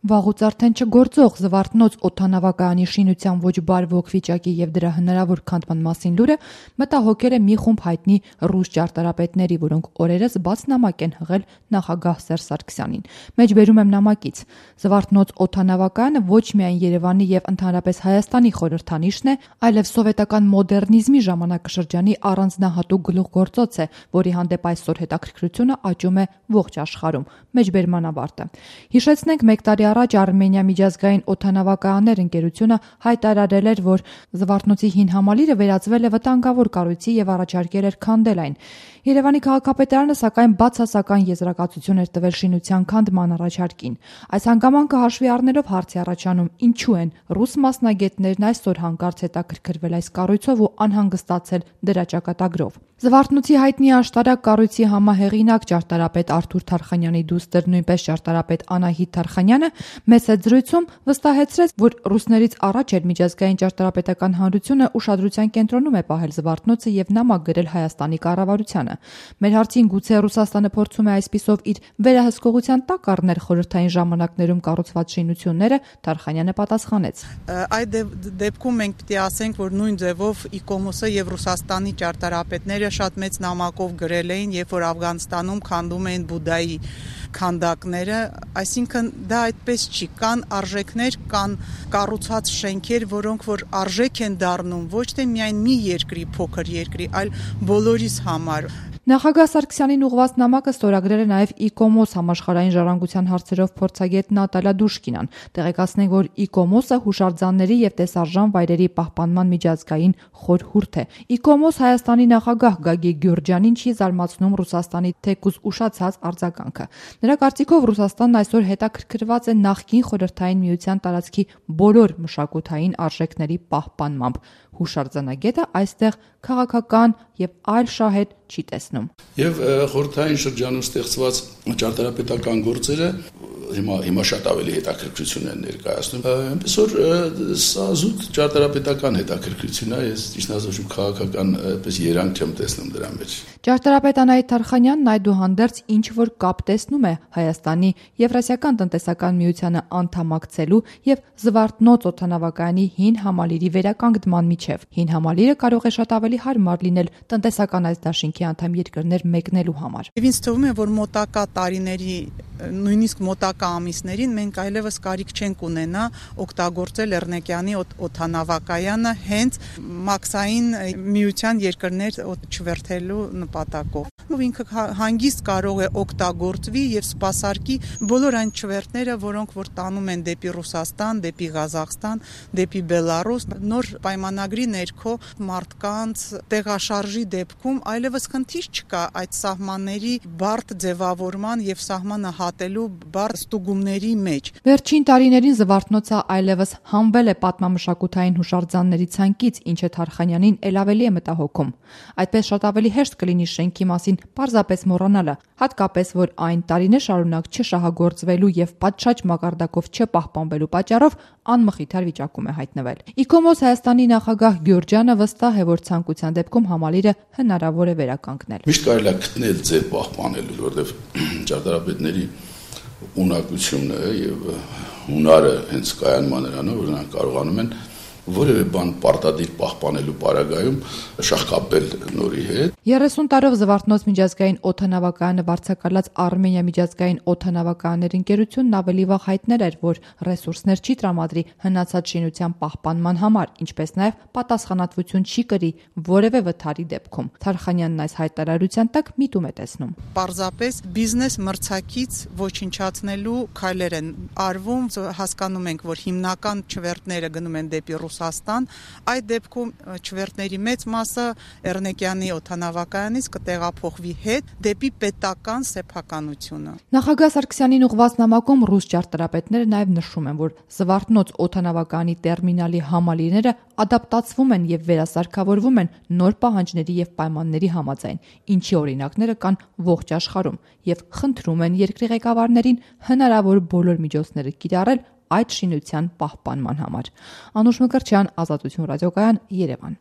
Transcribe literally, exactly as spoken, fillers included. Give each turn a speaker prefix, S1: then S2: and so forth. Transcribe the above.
S1: Վաղուց արդեն չգործող Զվարթնոց օդանավակայանի շինության ոչ բարվոք վիճակի եւ դրա հնարավոր քանդման մասին լուրը մտահոգել է մի խումբ հայտնի ռուս ճարտարապետների, որոնք օրերս բաց նամակ են հղել նախագահ Սերժ Սարգսյանին։ Մեջբերում եմ նամակից. Զվարթնոց օդանավակայանը ոչ միայն Երևանի եւ ընդհանրապես Հայաստանի խորհրդանիշն է, այլև սովետական մոդեռնիզմի ժամանակաշրջանի առանձնահատուկ գլուխգործոց է, որի հանդեպ այսօր հետաքրքրությունը աճում է ողջ աշխարհում։ Մեջբերման ավարտը։ Հիշեցնենք, մեկ տարի առաջ Արմենիա միջազգային օդանավակայաններ ընկերությունը հայտարարել էր, որ Զվարթնոցի հին համալիրը վերածվել է վտանգավոր կառույցի եւ առաջարկել էր քանդել այն։ Երևանի քաղաքապետարանը սակայն բացասական եզրակացություն էր տվել շինության քանդման առաջարկին։ Այս հանգամանքը հաշվի առնելով հարց է առաջանում, ինչու են ռուս մասնագետներն այսօր հանկարծ հետաքրքրվել այս կառույցով ու անհանգստացել դրա ճակատագրով։ Զվարթնոցի հայտնի աշտարակ կառույցի համահեղինակ ճարտարապետ Արթուր Թարխանյանի դուստր, նույնպես ճարտարապետ Անահիտ Թարխանյանը մեծ զրույցում վստահեցրեց, որ ռուսներից առաջ էր միջազգային ճարտարապետական հանրությունը ուշադրության կենտրոնում է պահել Զվարթնոցը եւ նամակ գրել Հայաստանի կառավարությանը։ Մեր հարցին գուցե Ռուսաստանը փորձում է այսպիսով իր վերահսկողության տակ առնել խորհրդային ժամանակներում կառուցված շինությունները, Թարխանյանը պատասխանեց.
S2: Այդ դեպքում մենք պետք է ասենք, որ նույն ձևով Իկոմոսը եւ Ռուսաստանի ճարտարապետները շատ մեծ նամակով գրել էին, երբ որ Աֆղանստանում քանդում էին Բուդայի քանդակները, այսինքն դա այդպես չի, կան արժեքներ, կան կառուցած շենքեր, որոնք որ արժեք են դառնում ոչ թե միայն մի երկրի, փոքր երկրի, այլ բոլորիս համար։
S1: Նախագահ Սարգսյանին ուղղված նամակը ստորագրել է նաև Իկոմոս համաշխարհային ժառանգության հարցերով փորձագետ Նատալիա Դուշկինան։ Տեղեկացնենք, որ Իկոմոսը հուշարձանների եւ տեսարժան վայրերի պահպանման միջազգային խորհուրդ է։ Իկոմոս Հայաստանի նախագահ Գագիկ Գյուրջյանին չի զարմացնում Ռուսաստանի թեկուզ ուշացած արձագանքը։ Նրա կարծիքով Ռուսաստանն այսօր հետաքրքրված է նախկին խորհրդային միության տարածքի բոլոր մշակութային արժեքների պահպանմամբ։ Հուշարձանագետը այստեղ քաղաքական եւ այլ շահեր չի տեսնում։
S3: Եվ խորհրդային շրջանում ստեղծված ճարտարապետական գործերը հիմա հիմա շատ ավելի հետաքրքրություն են ներկայացնում։ Այնպես որ սա զուտ ճարտարապետական հետաքրքրություն է, ես ճիշտ ասած քաղաքական այդպես երանգ չեմ տեսնում դրա մեջ։
S1: Ճարտարապետ Անահիտ Թարխանյանն այդուհանդերձ ինչ որ կապ տեսնում է Հայաստանի Եվրասիական տնտեսական միությանը անդամակցելու եւ Զվարթնոց օդանավակայանի հին համալիրի վերականգնման միջև։ Հին համալիրը կարող է շատ ավելի հարմար լինել տնտեսական այս դաշինքի անդամ երկրներ մեկնելու համար։
S2: Եվ ինձ թվում է, որ մոտակա տարիների, նույնիսկ մոտակա ամիսներին մենք այլևս կարիք չենք ունենա օգտագործել Էռնեկյանի օդանավակայանը հենց մաքսային միության երկրներ չվերթելու նպատակով։ Ինքը հանգիստ կարող է օգտագործվի եւ սպասարկի բոլոր այն չվերթները, որոնք որ տանում են դեպի Ռուսաստան, դեպի Ղազախստան, դեպի Բելարուս, նոր պայմանագրի ներքո մարդկանց տեղաշարժի դեպքում այլևս խնդիր չկա այդ սահմանների բարդ ձևավորման եւ սահմանը հատելու բարդ ստուգումների մեջ։
S1: Վերջին տարիներին Զվարթնոցը այլևս հանվել է պատմամշակութային հուշարձանների ցանկից, ինչը Թարխանյանին ել ավելի է մտահոգում։ Այդպես շատ ավելի հեշտ կլինի շենքի մասին պարզապես մոռանալը, հատկապես որ այն տարիներ շարունակ չշահագործվելու եւ պատշաճ մակարդակով չպահպանվելու պատճառով անմխիթար վիճակում է հայտնվել։ Իկոմոս Հայաստանի նախագահ Գյուրջյանը վստահ է, որ ցանկության դեպքում համալիրը հնարավոր է վերականգնել։
S3: Միշտ կարելի է գտնել ձև պահպանելու, որովհետեւ ճարտարապետների ունակությունը եւ հունարը հենց կայանման նրանով, որ նրանք կարողանում են որևէ բան պարտադիր պահպանելու պարագայում շահկապել նորի հետ։
S1: երեսուն տարով Զվարթնոց միջազգային օդանավակայանը վարձակալած Արմենիա միջազգային օդանավակայաններ ընկերությունն ավելի վաղ հայտնել էր, որ ռեսուրսներ չի տրամադրի հնացած շինության պահպանման համար, ինչպես նաև պատասխանատվություն չի կրի որևէ վթարի դեպքում։ Թարխանյանն այս հայտարարության տակ միտում է տեսնում։
S2: Պարզապես բիզնես մրցակից ոչնչացնելու քայլեր են արվում, հասկանում ենք, որ հիմնական չվերթները գնում են դեպի Ռուսաստան, այդ դեպքում չվերթների մեծ մասը Էռնեկյանի օդանավակայանից կտեղափոխվի հետ դեպի պետական սեփականությունը։
S1: Նախագահ Սարգսյանին ուղղված նամակում ռուս ճարտարապետները նաև նշում են, որ Զվարթնոց օդանավակայանի տերմինալի համալիրները ադապտացվում են եւ վերասարքավորվում են նոր պահանջների եւ պայմանների համաձայն, ինչի օրինակները կան ողջ աշխարհում, եւ խնդրում են երկրի ղեկավարներին հնարավոր բոլոր միջոցները կիրառել այդ շինության պահպանման համար։ Անուշ Մկրտչյան, Ազատություն ռադիոկայան, Երևան։